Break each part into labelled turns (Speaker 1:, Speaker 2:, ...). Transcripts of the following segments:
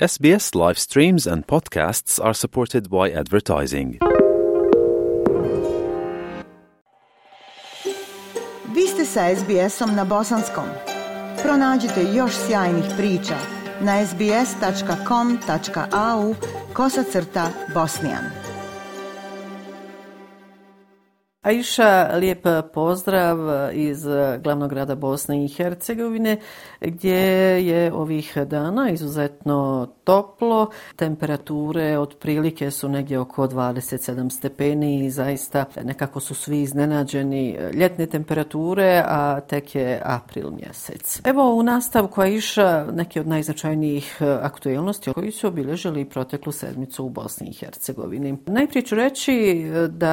Speaker 1: SBS live streams and podcasts are supported by advertising.
Speaker 2: Vi ste sa SBS-om na bosanskom. Pronađite još sjajnih priča na sbs.com.au/bosnian.
Speaker 3: Aisha, lijep pozdrav iz glavnog grada Bosne i Hercegovine, gdje je ovih dana izuzetno toplo. Temperature otprilike su negdje oko 27 stepeni i zaista nekako su svi iznenađeni ljetne temperature, a tek je april mjesec. Evo u nastavku, Aisha, neki od najznačajnijih aktualnosti koji su obilježili proteklu sedmicu u Bosni i Hercegovini. Najprije ću reći da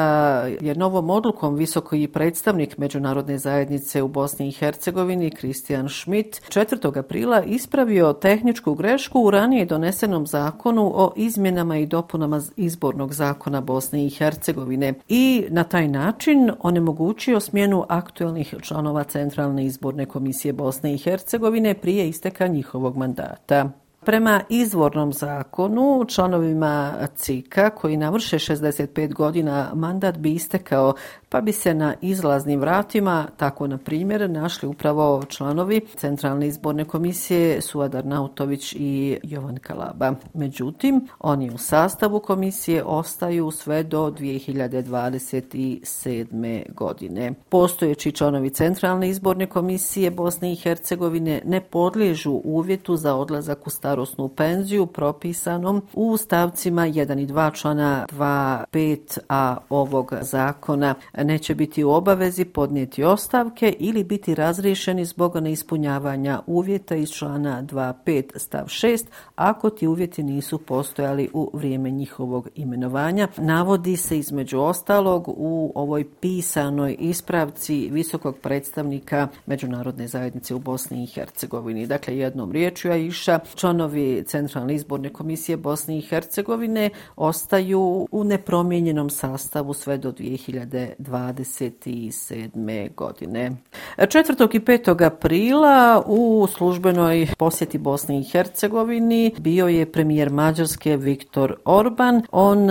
Speaker 3: je novom odlukom visoki predstavnik Međunarodne zajednice u Bosni i Hercegovini Christian Schmidt 4. aprila ispravio tehničku grešku u ranije donesenom zakonu o izmjenama i dopunama izbornog zakona Bosne i Hercegovine i na taj način onemogućio smjenu aktualnih članova Centralne izborne komisije Bosne i Hercegovine prije isteka njihovog mandata. Prema izvornom zakonu, članovima CIK-a koji navrše 65 godina mandat bi istekao, pa bi se na izlaznim vratima, tako na primjer, našli upravo članovi Centralne izborne komisije Suad Arnautović i Jovan Kalaba. Međutim, oni u sastavu komisije ostaju sve do 2027. godine. Postojeći članovi Centralne izborne komisije Bosne i Hercegovine ne podliježu uvjetu za odlazak u starosnu penziju propisanom u stavcima 1 i 2 člana 2.5a ovog zakona. Neće biti u obavezi podnijeti ostavke ili biti razriješeni zbog neispunjavanja uvjeta iz člana 2.5 stav 6 ako ti uvjeti nisu postojali u vrijeme njihovog imenovanja. Navodi se između ostalog u ovoj pisanoj ispravci visokog predstavnika Međunarodne zajednice u Bosni i Hercegovini. Dakle, jednom riječju, Aisha, članovi Centralne izborne komisije Bosne i Hercegovine ostaju u nepromijenjenom sastavu sve do 2027. godine. 4. i 5. aprila u službenoj posjeti Bosni i Hercegovini bio je premijer Mađarske Viktor Orban. On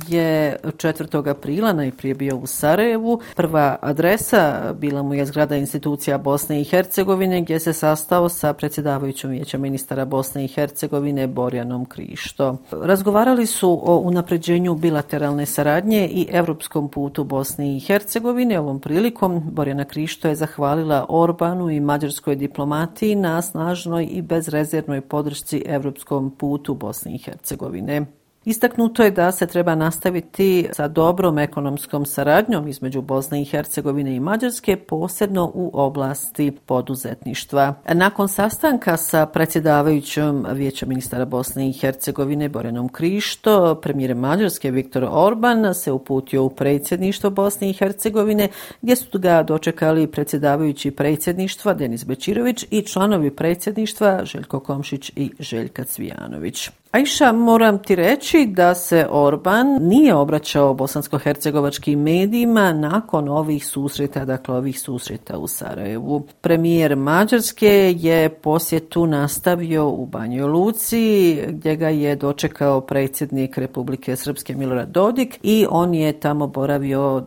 Speaker 3: je 4. aprila najprije bio u Sarajevu. Prva adresa bila mu je zgrada institucija Bosne i Hercegovine gdje se sastao sa predsjedavajućom vijeća ministara Bosne i Hercegovine Borjanom Krišto. Razgovarali su o unapređenju bilateralne saradnje i europskom putu Bosne i Hercegovine. Ovom prilikom Borjana Krišto je zahvalila Orbanu i mađarskoj diplomatiji na snažnoj i bezrezervnoj podršci europskom putu Bosne i Hercegovine. Istaknuto je da se treba nastaviti sa dobrom ekonomskom saradnjom između Bosne i Hercegovine i Mađarske, posebno u oblasti poduzetništva. Nakon sastanka sa predsjedavajućom vijeća ministara Bosne i Hercegovine Borjanom Krišto, premijer Mađarske Viktor Orban se uputio u predsjedništvo Bosne i Hercegovine, gdje su ga dočekali predsjedavajući predsjedništva Denis Bećirović i članovi predsjedništva Željko Komšić i Željka Cvijanović. Aisha, moram ti reći da se Orban nije obraćao bosansko-hercegovačkim medijima nakon ovih susreta u Sarajevu. Premijer Mađarske je posjetu nastavio u Banjoj Luci, gdje ga je dočekao predsjednik Republike Srpske Milorad Dodik i on je tamo boravio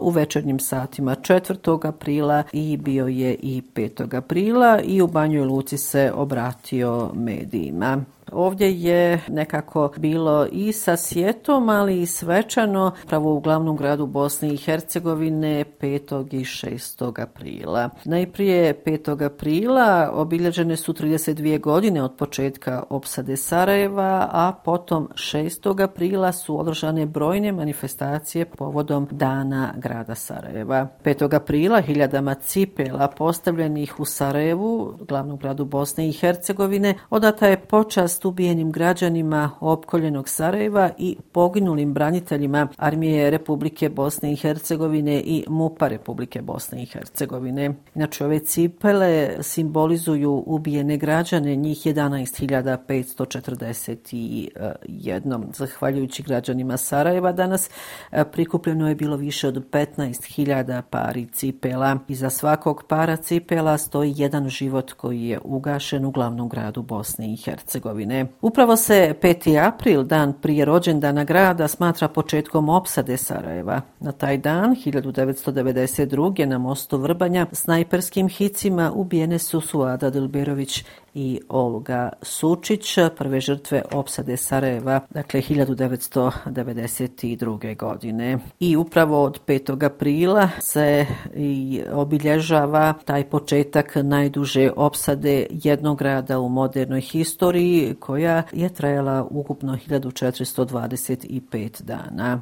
Speaker 3: u večernjim satima 4. aprila i bio je i 5. aprila i u Banjoj Luci se obratio medijima. Ovdje je nekako bilo i sa sjetom, ali i svečano, pravo u glavnom gradu Bosne i Hercegovine 5. i 6. aprila. Najprije 5. aprila obilježene su 32 godine od početka opsade Sarajeva, a potom 6. aprila su održane brojne manifestacije povodom Dana grada Sarajeva. 5. aprila hiljadama cipela postavljenih u Sarajevu, glavnom gradu Bosne i Hercegovine, odata je počast počast ubijenim građanima opkoljenog Sarajeva i poginulim braniteljima Armije Republike Bosne i Hercegovine i MUP-a Republike Bosne i Hercegovine. Inače, ove cipele simbolizuju ubijene građane, njih 11.541. Zahvaljujući građanima Sarajeva danas prikupljeno je bilo više od 15.000 pari cipela. Iza svakog para cipela stoji jedan život koji je ugašen u glavnom gradu Bosne i Hercegovine. Upravo se 5. april, dan prije rođendana grada, smatra početkom opsade Sarajeva. Na taj dan, 1992. na mostu Vrbanja, snajperskim hicima ubijene su Suada Dilberović i Olga Sučić, prve žrtve opsade Sarajeva, dakle 1992. godine. I upravo od 5. aprila se i obilježava taj početak najduže opsade jednog grada u modernoj historiji, koja je trajala ukupno 1425 dana.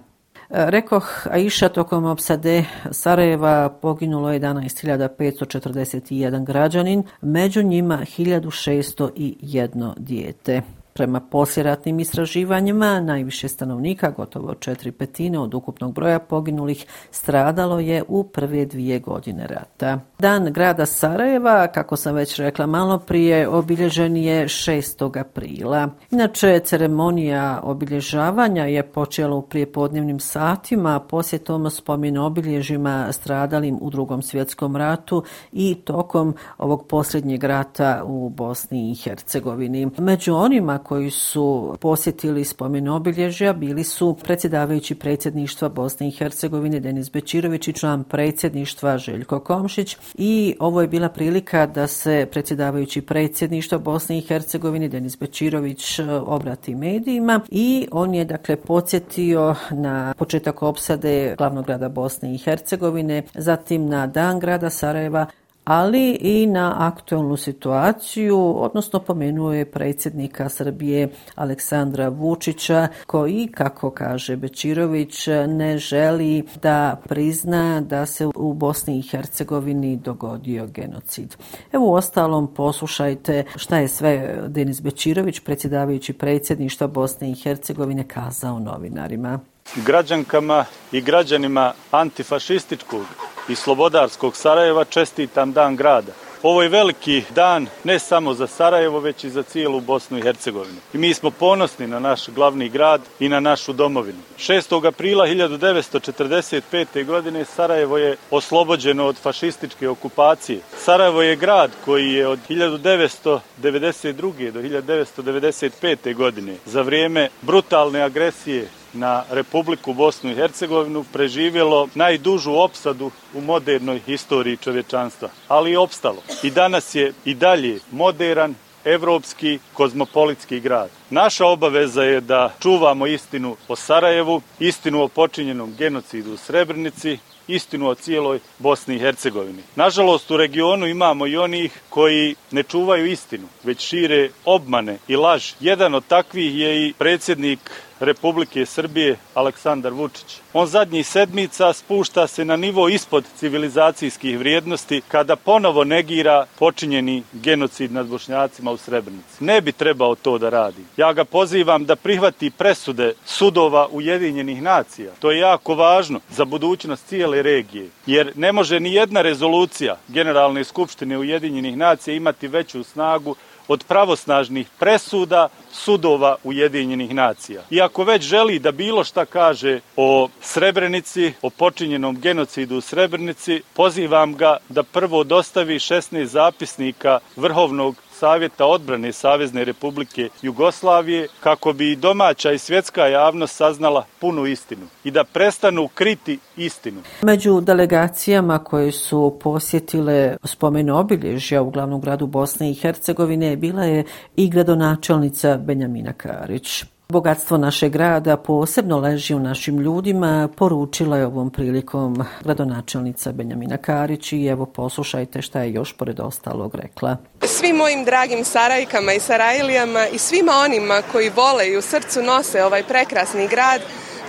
Speaker 3: Rekoh, Aisha, tokom opsade Sarajeva poginulo 11.541 građanin, među njima 1.601 dijete. Prema poslijeratnim istraživanjima, najviše stanovnika, gotovo 4/5 od ukupnog broja poginulih, stradalo je u prve 2 godine rata. Dan grada Sarajeva, kako sam već rekla malo prije, obilježen je 6. aprila. Inače, ceremonija obilježavanja je počela u prijepodnevnim satima posjetom spomen obilježjima stradalim u Drugom svjetskom ratu i tokom ovog posljednjeg rata u Bosni i Hercegovini. Među onima koji su posjetili spomen obilježja bili su predsjedavajući predsjedništva Bosne i Hercegovine Denis Bećirović i član predsjedništva Željko Komšić, i ovo je bila prilika da se predsjedavajući predsjedništva Bosne i Hercegovine Denis Bećirović obrati medijima i on je dakle podsjetio na početak opsade glavnog grada Bosne i Hercegovine, zatim na dan grada Sarajeva, ali i na aktualnu situaciju, odnosno pomenuo je predsjednika Srbije Aleksandra Vučića, koji, kako kaže Bećirović, ne želi da prizna da se u Bosni i Hercegovini dogodio genocid. Evo, uostalom, poslušajte šta je sve Denis Bećirović, predsjedavajući predsjedništva Bosne i Hercegovine, kazao novinarima.
Speaker 4: Građankama i građanima antifašističkog i slobodarskog Sarajeva čestitam dan grada. Ovo je veliki dan ne samo za Sarajevo, već i za cijelu Bosnu i Hercegovinu. I mi smo ponosni na naš glavni grad i na našu domovinu. 6. aprila 1945. godine Sarajevo je oslobođeno od fašističke okupacije. Sarajevo je grad koji je od 1992. do 1995. godine za vrijeme brutalne agresije na Republiku Bosnu i Hercegovinu preživjelo najdužu opsadu u modernoj historiji čovječanstva, ali i opstalo. I danas je i dalje moderan, evropski, kozmopolitski grad. Naša obaveza je da čuvamo istinu o Sarajevu, istinu o počinjenom genocidu u Srebrenici, istinu o cijeloj Bosni i Hercegovini. Nažalost, u regionu imamo i onih koji ne čuvaju istinu, već šire obmane i laž. Jedan od takvih je i predsjednik Republike Srbije Aleksandar Vučić. On zadnjih sedmica spušta se na nivo ispod civilizacijskih vrijednosti kada ponovo negira počinjeni genocid nad Bošnjacima u Srebrenici. Ne bi trebao to da radi. Ja ga pozivam da prihvati presude sudova Ujedinjenih nacija. To je jako važno za budućnost cijele regije, jer ne može ni jedna rezolucija Generalne skupštine Ujedinjenih nacija imati veću snagu od pravosnažnih presuda sudova Ujedinjenih nacija. I ako već želi da bilo šta kaže o Srebrenici, o počinjenom genocidu u Srebrenici, pozivam ga da prvo dostavi 16 zapisnika Vrhovnog Savjeta odbrane Savezne Republike Jugoslavije, kako bi i domaća i svjetska javnost saznala punu istinu i da prestanu kriti istinu.
Speaker 3: Među delegacijama koje su posjetile spomen obilježja u glavnom gradu Bosne i Hercegovine bila je i gradonačelnica Benjamina Karić. Bogatstvo našeg grada posebno leži u našim ljudima, poručila je ovom prilikom gradonačelnica Benjamina Karić, i evo poslušajte šta je još pored ostalog rekla.
Speaker 5: Svim mojim dragim Sarajkama i Sarajlijama i svima onima koji vole i u srcu nose ovaj prekrasni grad,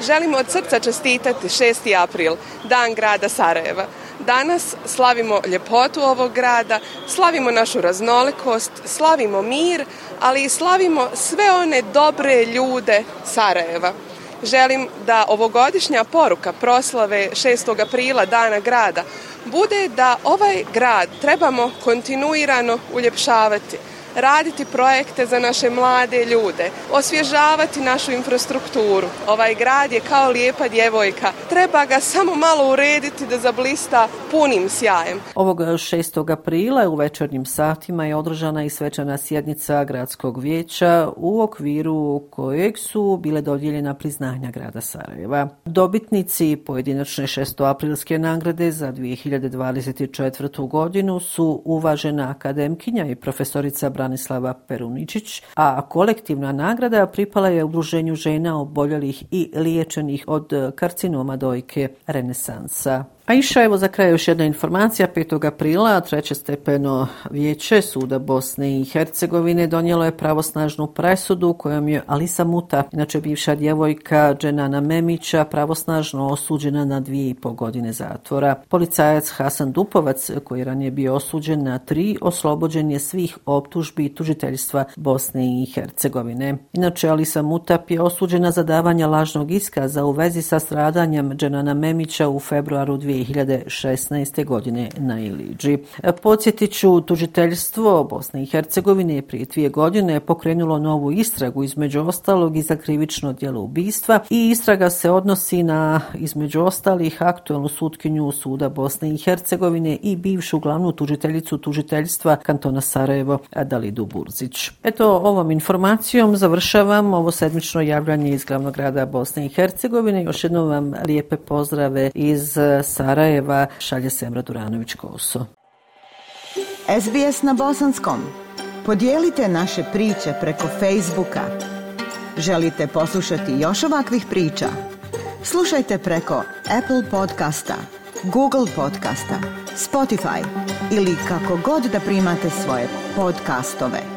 Speaker 5: želimo od srca čestitati 6. april, dan grada Sarajeva. Danas slavimo ljepotu ovog grada, slavimo našu raznolikost, slavimo mir, ali i slavimo sve one dobre ljude Sarajeva. Želim da ovogodišnja poruka proslave 6. aprila Dana grada bude da ovaj grad trebamo kontinuirano uljepšavati, raditi projekte za naše mlade ljude, osvježavati našu infrastrukturu. Ovaj grad je kao lijepa djevojka. Treba ga samo malo urediti da zablista punim sjajem.
Speaker 3: Ovog 6. aprila u večernjim satima je održana i svečana sjednica gradskog vijeća u okviru kojeg su bile dodijeljena priznanja grada Sarajeva. Dobitnici pojedinačne 6. nagrade za 2024. godinu su uvažena akademkinja i profesorica Branislava Peruničić, a kolektivna nagrada pripala je Udruženju žena oboljelih i liječenih od karcinoma dojke Renesansa. A iša, evo za kraj još jedna informacija. 5. aprila 3. stepeno vijeće Suda Bosne i Hercegovine donijelo je pravosnažnu presudu kojom je Alisa Muta, inače bivša djevojka Dženana Memića, pravosnažno osuđena na 2,5 godine zatvora. Policajac Hasan Dupovac, koji je ranije bio osuđen na 3, oslobođen je svih optužbi tužiteljstva Bosne i Hercegovine. Inače, Alisa Mutap je osuđena za davanje lažnog iskaza u vezi sa stradanjem Dženana Memića u februaru 2016. godine na Iliđi. Podsjetit ću, tužiteljstvo Bosne i Hercegovine je prije 2 godine pokrenulo novu istragu, između ostalog i za krivično djelo ubistva, i istraga se odnosi na, između ostalih, aktualnu sutkinju Suda Bosne i Hercegovine i bivšu glavnu tužiteljicu tužiteljstva kantona Sarajevo Dalidu Burzić. Eto, ovom informacijom završavam ovo sedmično javljanje iz glavnog grada Bosne i Hercegovine. Još jednom vam lijepe pozdrave iz Sarajeva šalje Semra Duranović-Koso.
Speaker 2: SBS na bosanskom. Podijelite naše priče preko Facebooka. Želite poslušati još ovakvih priča? Slušajte preko Apple podcasta, Google podcasta, Spotify ili kako god da primate svoje podcastove.